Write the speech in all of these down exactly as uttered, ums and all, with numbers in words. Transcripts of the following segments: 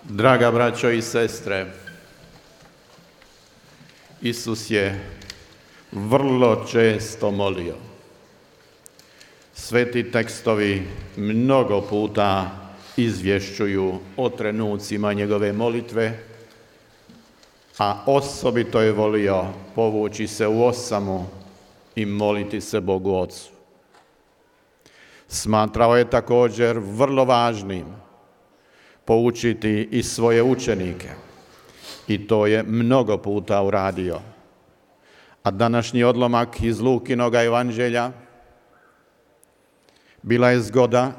Draga braćo i sestre, Isus je vrlo često molio. Sveti tekstovi mnogo puta izvješćuju o trenucima njegove molitve, a osobito je volio povući se u osamu i moliti se Bogu Ocu. Smatrao je također vrlo važnim poučiti i svoje učenike, i to je mnogo puta uradio. A današnji odlomak iz Lukinoga evanđelja bila je zgoda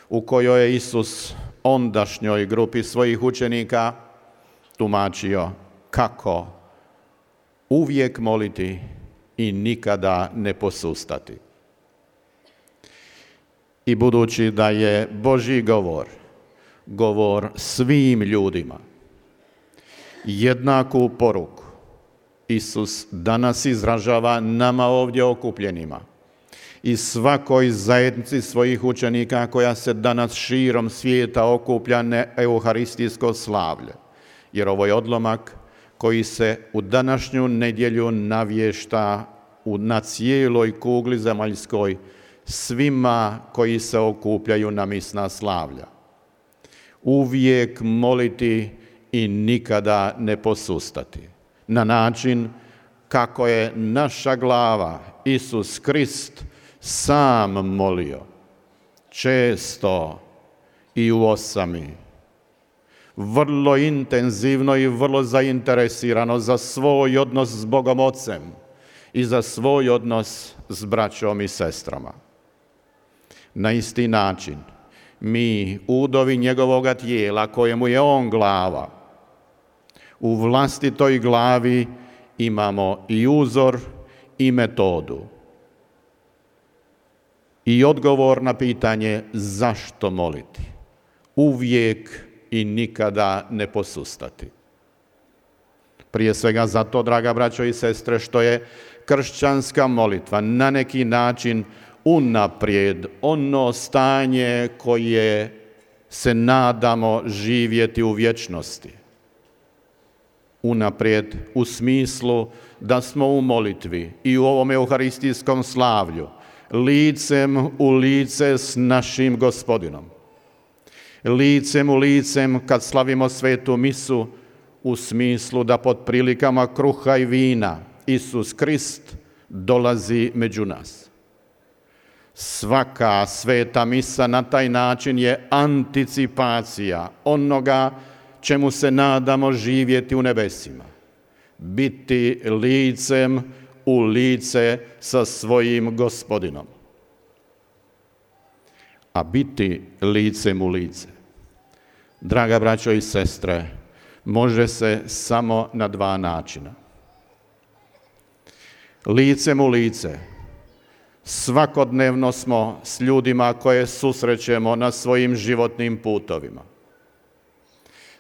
u kojoj je Isus ondašnjoj grupi svojih učenika tumačio kako uvijek moliti i nikada ne posustati. I budući da je Božji govor govor svim ljudima, jednaku poruku Isus danas izražava nama ovdje okupljenima i svakoj zajednici svojih učenika koja se danas širom svijeta okuplja na euharistijsko slavlje. Jer ovo je odlomak koji se u današnju nedjelju navješta na cijeloj kugli zemaljskoj svima koji se okupljaju na misna slavlja. Uvijek moliti i nikada ne posustati. Na način kako je naša glava, Isus Krist, sam molio. Često i u osami. Vrlo intenzivno i vrlo zainteresirano za svoj odnos s Bogom Ocem i za svoj odnos s braćom i sestrama. Na isti način mi, udovi njegovoga tijela, kojemu je on glava, u vlastitoj glavi imamo i uzor i metodu. I odgovor na pitanje zašto moliti. Uvijek i nikada ne posustati. Prije svega zato, draga braćo i sestre, što je kršćanska molitva na neki način unaprijed ono stanje koje se nadamo živjeti u vječnosti. Unaprijed u smislu da smo u molitvi i u ovom euharistijskom slavlju licem u lice s našim Gospodinom. Licem u licem kad slavimo svetu misu u smislu da pod prilikama kruha i vina Isus Krist dolazi među nas. Svaka sveta misa na taj način je anticipacija onoga čemu se nadamo živjeti u nebesima. Biti licem u lice sa svojim Gospodinom. A biti licem u lice, draga braćo i sestre, može se samo na dva načina. Licem u lice svakodnevno smo s ljudima koje susrećemo na svojim životnim putovima.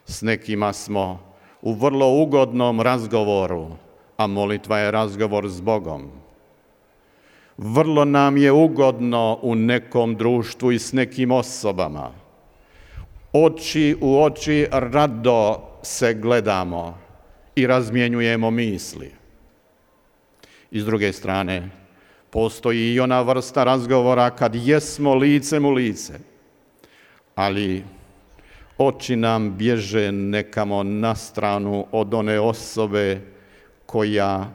S nekima smo u vrlo ugodnom razgovoru, a molitva je razgovor s Bogom. Vrlo nam je ugodno u nekom društvu i s nekim osobama. Oči u oči rado se gledamo i razmjenjujemo misli. I s druge strane, postoji i ona vrsta razgovora kad jesmo licem u lice, ali oči nam bježe nekamo na stranu od one osobe koja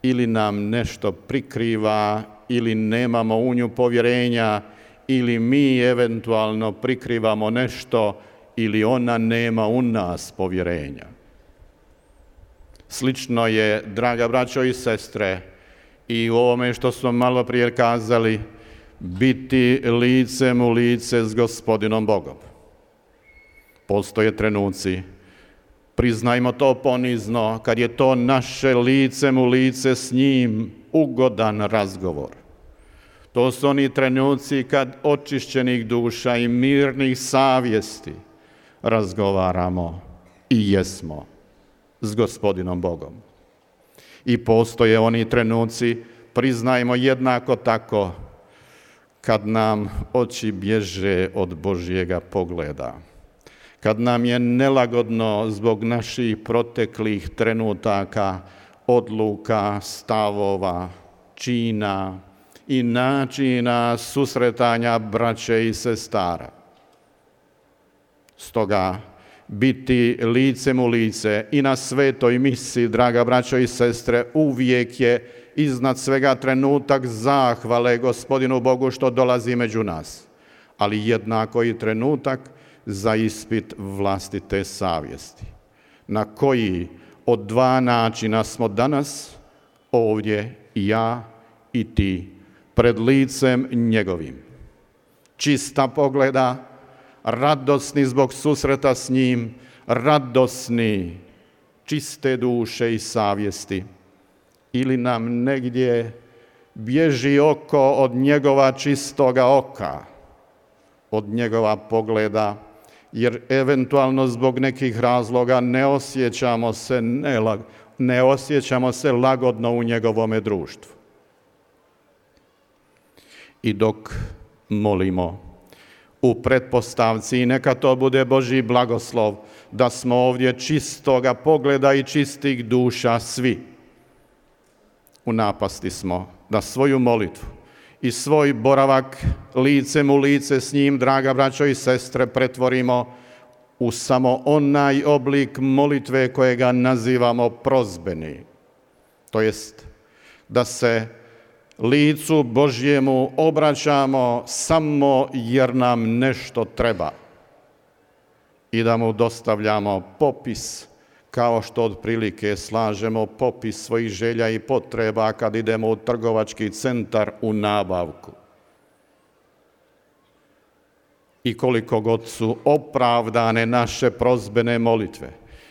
ili nam nešto prikriva, ili nemamo u nju povjerenja, ili mi eventualno prikrivamo nešto, ili ona nema u nas povjerenja. Slično je, draga braćo i sestre, i u ovome što smo malo prije kazali, biti licem u lice s Gospodinom Bogom. Postoje trenuci, priznajmo to ponizno, kad je to naše licem u lice s njim ugodan razgovor. To su oni trenuci kad očišćenih duša i mirnih savjesti razgovaramo i jesmo s Gospodinom Bogom. I postoje oni trenuci, priznajmo jednako tako, kad nam oči bježe od Božjega pogleda, kad nam je nelagodno zbog naših proteklih trenutaka, odluka, stavova, čina i načina susretanja braće i sestara. Stoga, biti licem u lice i na svetoj misi, draga braćo i sestre, uvijek je iznad svega trenutak zahvale Gospodinu Bogu što dolazi među nas, ali jednako i trenutak za ispit vlastite savjesti. Na koji od dva načina smo danas ovdje i ja i ti pred licem njegovim. Čista pogleda, radosni zbog susreta s njim, radosni, čiste duše i savjesti. Ili nam negdje bježi oko od njegova čistoga oka, od njegova pogleda, jer eventualno zbog nekih razloga ne osjećamo se, ne, ne osjećamo se lagodno u njegovome društvu. I dok molimo u pretpostavci, i neka to bude Božji blagoslov, da smo ovdje čistoga pogleda i čistih duša svi, u napasti smo da svoju molitvu i svoj boravak licem u lice s njim, draga braćo i sestre, pretvorimo u samo onaj oblik molitve kojega nazivamo prozbeni. To jest da se licu Božjemu obraćamo samo jer nam nešto treba i da mu dostavljamo popis, kao što otprilike slažemo popis svojih želja i potreba kad idemo u trgovački centar u nabavku. I koliko god su opravdane naše prozbene molitve,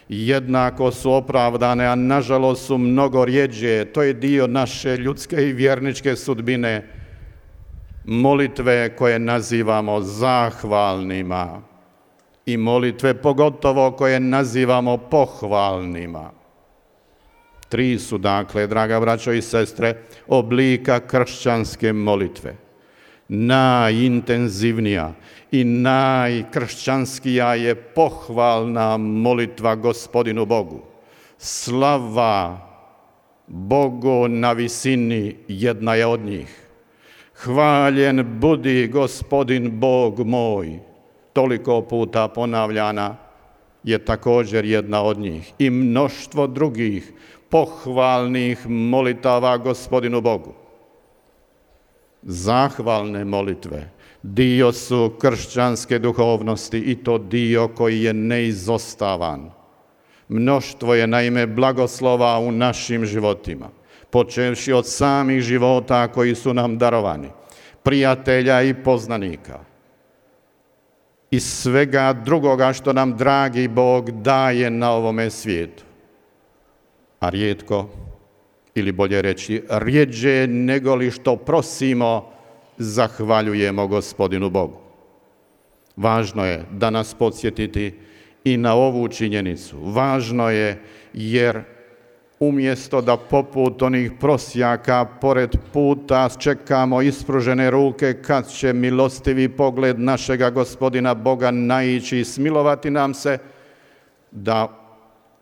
jednako su opravdane, a nažalost su mnogo rjeđe, to je dio naše ljudske i vjerničke sudbine, molitve koje nazivamo zahvalnima i molitve pogotovo koje nazivamo pohvalnima. Tri su, dakle, draga braćo i sestre, oblika kršćanske molitve. Najintenzivnija i najkršćanskija je pohvalna molitva Gospodinu Bogu. Slava Bogu na visini, jedna je od njih. Hvaljen budi Gospodin Bog moj, toliko puta ponavljana, je također jedna od njih. I mnoštvo drugih pohvalnih molitava Gospodinu Bogu. Zahvalne molitve dio su kršćanske duhovnosti i to dio koji je neizostavan. Mnoštvo je naime blagoslova u našim životima, počevši od samih života koji su nam darovani, prijatelja i poznanika i svega drugoga što nam dragi Bog daje na ovome svijetu. A rijetko, ili bolje reći, rjeđe nego li što prosimo, zahvaljujemo Gospodinu Bogu. Važno je danas podsjetiti i na ovu činjenicu. Važno je jer umjesto da poput onih prosjaka pored puta čekamo ispružene ruke kad će milostivi pogled našega Gospodina Boga naići i smilovati nam se, da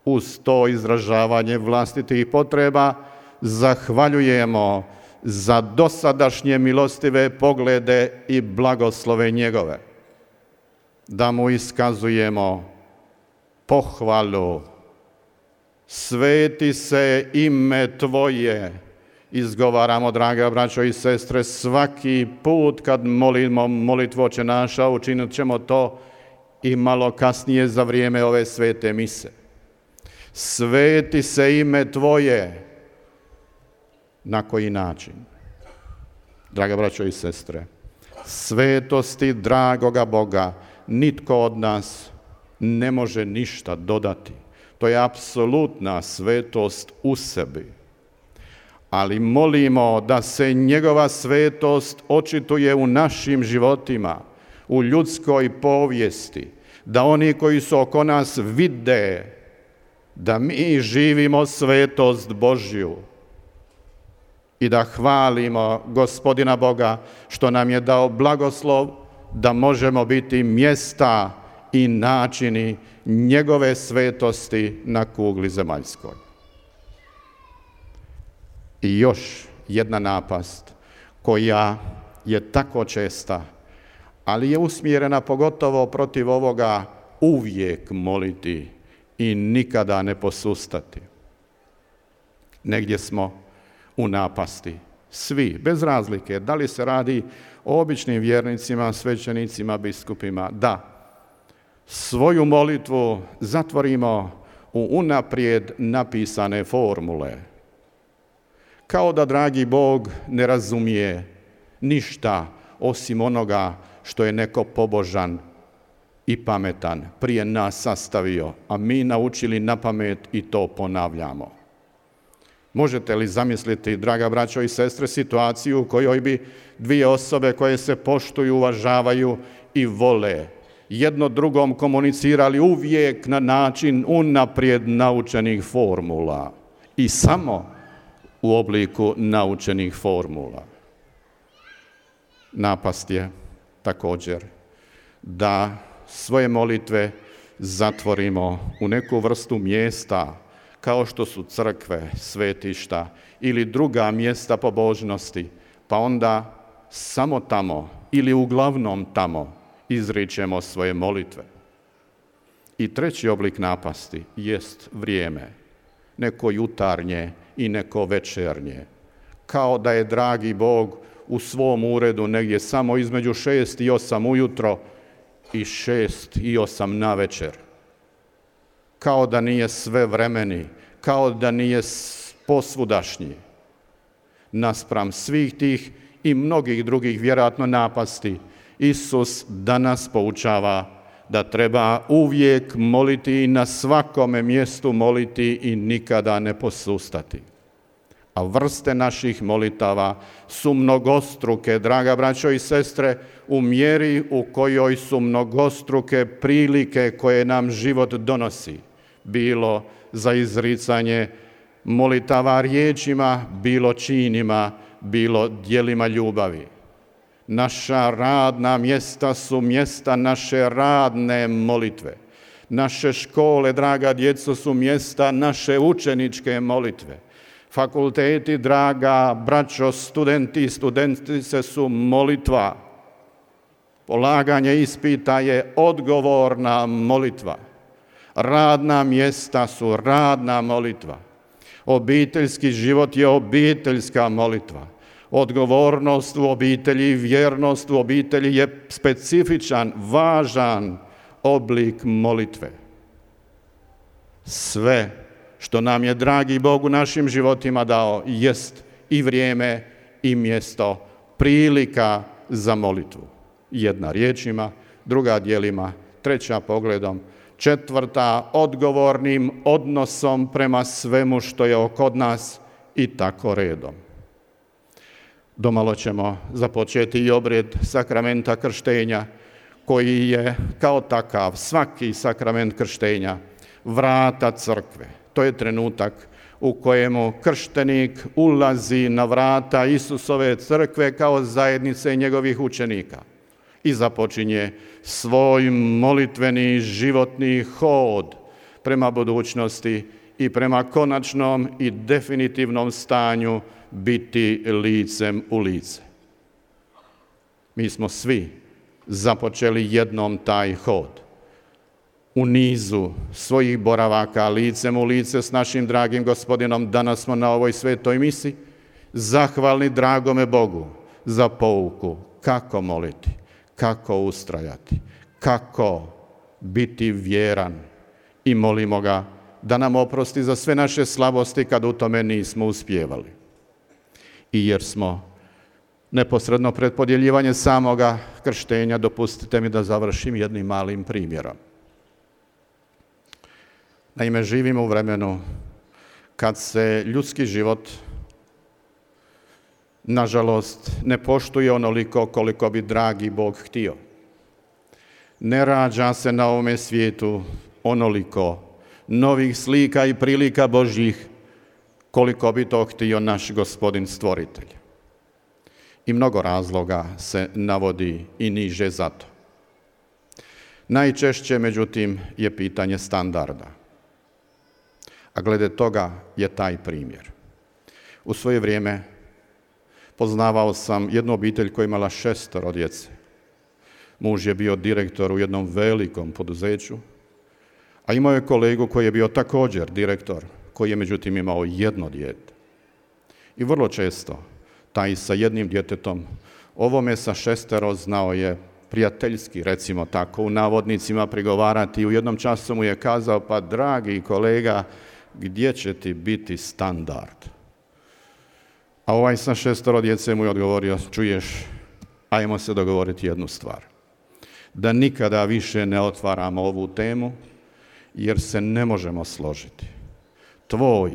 uz to izražavanje vlastitih potreba zahvaljujemo za dosadašnje milostive poglede i blagoslove njegove. Da mu iskazujemo pohvalu. Sveti se ime Tvoje, izgovaramo, draga braćo i sestre, svaki put kad molimo molitvu Oče naša, učinit ćemo to i malo kasnije za vrijeme ove svete mise. Sveti se ime Tvoje. Na koji način? Draga braćo i sestre, svetosti dragoga Boga nitko od nas ne može ništa dodati. To je apsolutna svetost u sebi. Ali molimo da se njegova svetost očituje u našim životima, u ljudskoj povijesti, da oni koji su oko nas vide da mi živimo svetost Božju i da hvalimo Gospodina Boga što nam je dao blagoslov da možemo biti mjesta i načini njegove svetosti na kugli zemaljskoj. I još jedna napast koja je tako česta, ali je usmjerena pogotovo protiv ovoga uvijek moliti i nikada ne posustati. Negdje smo u napasti, svi, bez razlike, da li se radi o običnim vjernicima, svećenicima, biskupima, da svoju molitvu zatvorimo u unaprijed napisane formule. Kao da dragi Bog ne razumije ništa osim onoga što je neko pobožan i pametan prije nas sastavio, a mi naučili na pamet i to ponavljamo. Možete li zamisliti, draga braćo i sestre, situaciju u kojoj bi dvije osobe koje se poštuju, uvažavaju i vole jedno drugom komunicirali uvijek na način unaprijed naučenih formula i samo u obliku naučenih formula? Napast je također da svoje molitve zatvorimo u neku vrstu mjesta kao što su crkve, svetišta ili druga mjesta pobožnosti, pa onda samo tamo ili uglavnom tamo izričemo svoje molitve. I treći oblik napasti jest vrijeme, neko jutarnje i neko večernje. Kao da je dragi Bog u svom uredu negdje samo između šest i osam ujutro i šest i osam navečer. Kao da nije sve vremeni, kao da nije posvudašnji. Naspram svih tih i mnogih drugih vjerojatno napasti, Isus danas poučava da treba uvijek moliti i na svakome mjestu moliti i nikada ne posustati. A vrste naših molitava su mnogostruke, draga braćo i sestre, u mjeri u kojoj su mnogostruke prilike koje nam život donosi. Bilo za izricanje molitava riječima, bilo činima, bilo djelima ljubavi. Naša radna mjesta su mjesta naše radne molitve. Naše škole, draga djeco, su mjesta naše učeničke molitve. Fakulteti, draga braćo, studenti i studentice su molitva. Polaganje ispita je odgovorna molitva. Radna mjesta su radna molitva. Obiteljski život je obiteljska molitva. Odgovornost u obitelji i vjernost u obitelji je specifičan, važan oblik molitve. Sve što nam je dragi Bog u našim životima dao jest i vrijeme i mjesto, prilika za molitvu. Jedna riječima, druga djelima, treća pogledom, četvrta odgovornim odnosom prema svemu što je oko nas i tako redom. Domalo ćemo započeti i obred sakramenta krštenja, koji je kao takav, svaki sakrament krštenja, vrata crkve. To je trenutak u kojemu krštenik ulazi na vrata Isusove crkve kao zajednice njegovih učenika i započinje svoj molitveni životni hod prema budućnosti i prema konačnom i definitivnom stanju biti licem u lice. Mi smo svi započeli jednom taj hod. U nizu svojih boravaka licem u lice s našim dragim Gospodinom danas smo na ovoj svetoj misi zahvalni dragome Bogu za pouku kako moliti, kako ustrajati, kako biti vjeran i molimo ga da nam oprosti za sve naše slabosti kad u tome nismo uspijevali. I jer smo neposredno pred podjeljivanje samoga krštenja, dopustite mi da završim jednim malim primjerom. Naime, živimo u vremenu kad se ljudski život, nažalost, ne poštuje onoliko koliko bi dragi Bog htio. Ne rađa se na ovome svijetu onoliko novih slika i prilika Božjih koliko bi to htio naš Gospodin stvoritelj. I mnogo razloga se navodi i niže za to. Najčešće, međutim, je pitanje standarda. A glede toga je taj primjer. U svoje vrijeme poznavao sam jednu obitelj koja je imala šestoro djece. Muž je bio direktor u jednom velikom poduzeću, a imao je kolegu koji je bio također direktor, koji je međutim imao jedno dijete. I vrlo često taj sa jednim djetetom, ovome sa šestero znao je prijateljski, recimo tako, u navodnicima prigovarati i u jednom času mu je kazao, pa dragi kolega, gdje će ti biti standard? A ovaj sa šestoro djece mu je odgovorio, čuješ, ajmo se dogovoriti jednu stvar. Da nikada više ne otvaramo ovu temu, jer se ne možemo složiti. Tvoj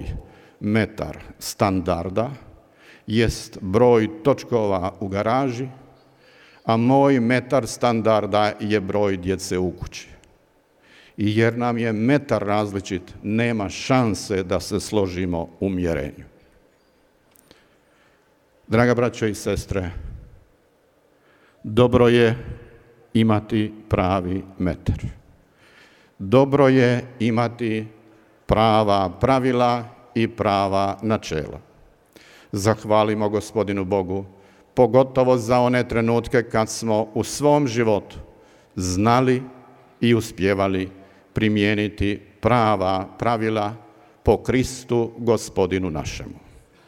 metar standarda jest broj točkova u garaži, a moj metar standarda je broj djece u kući. I jer nam je metar različit, nema šanse da se složimo u mjerenju. Draga braćo i sestre, dobro je imati pravi metar. Dobro je imati prava pravila i prava načela. Zahvalimo Gospodinu Bogu, pogotovo za one trenutke kad smo u svom životu znali i uspjevali primijeniti prava pravila po Kristu Gospodinu našemu.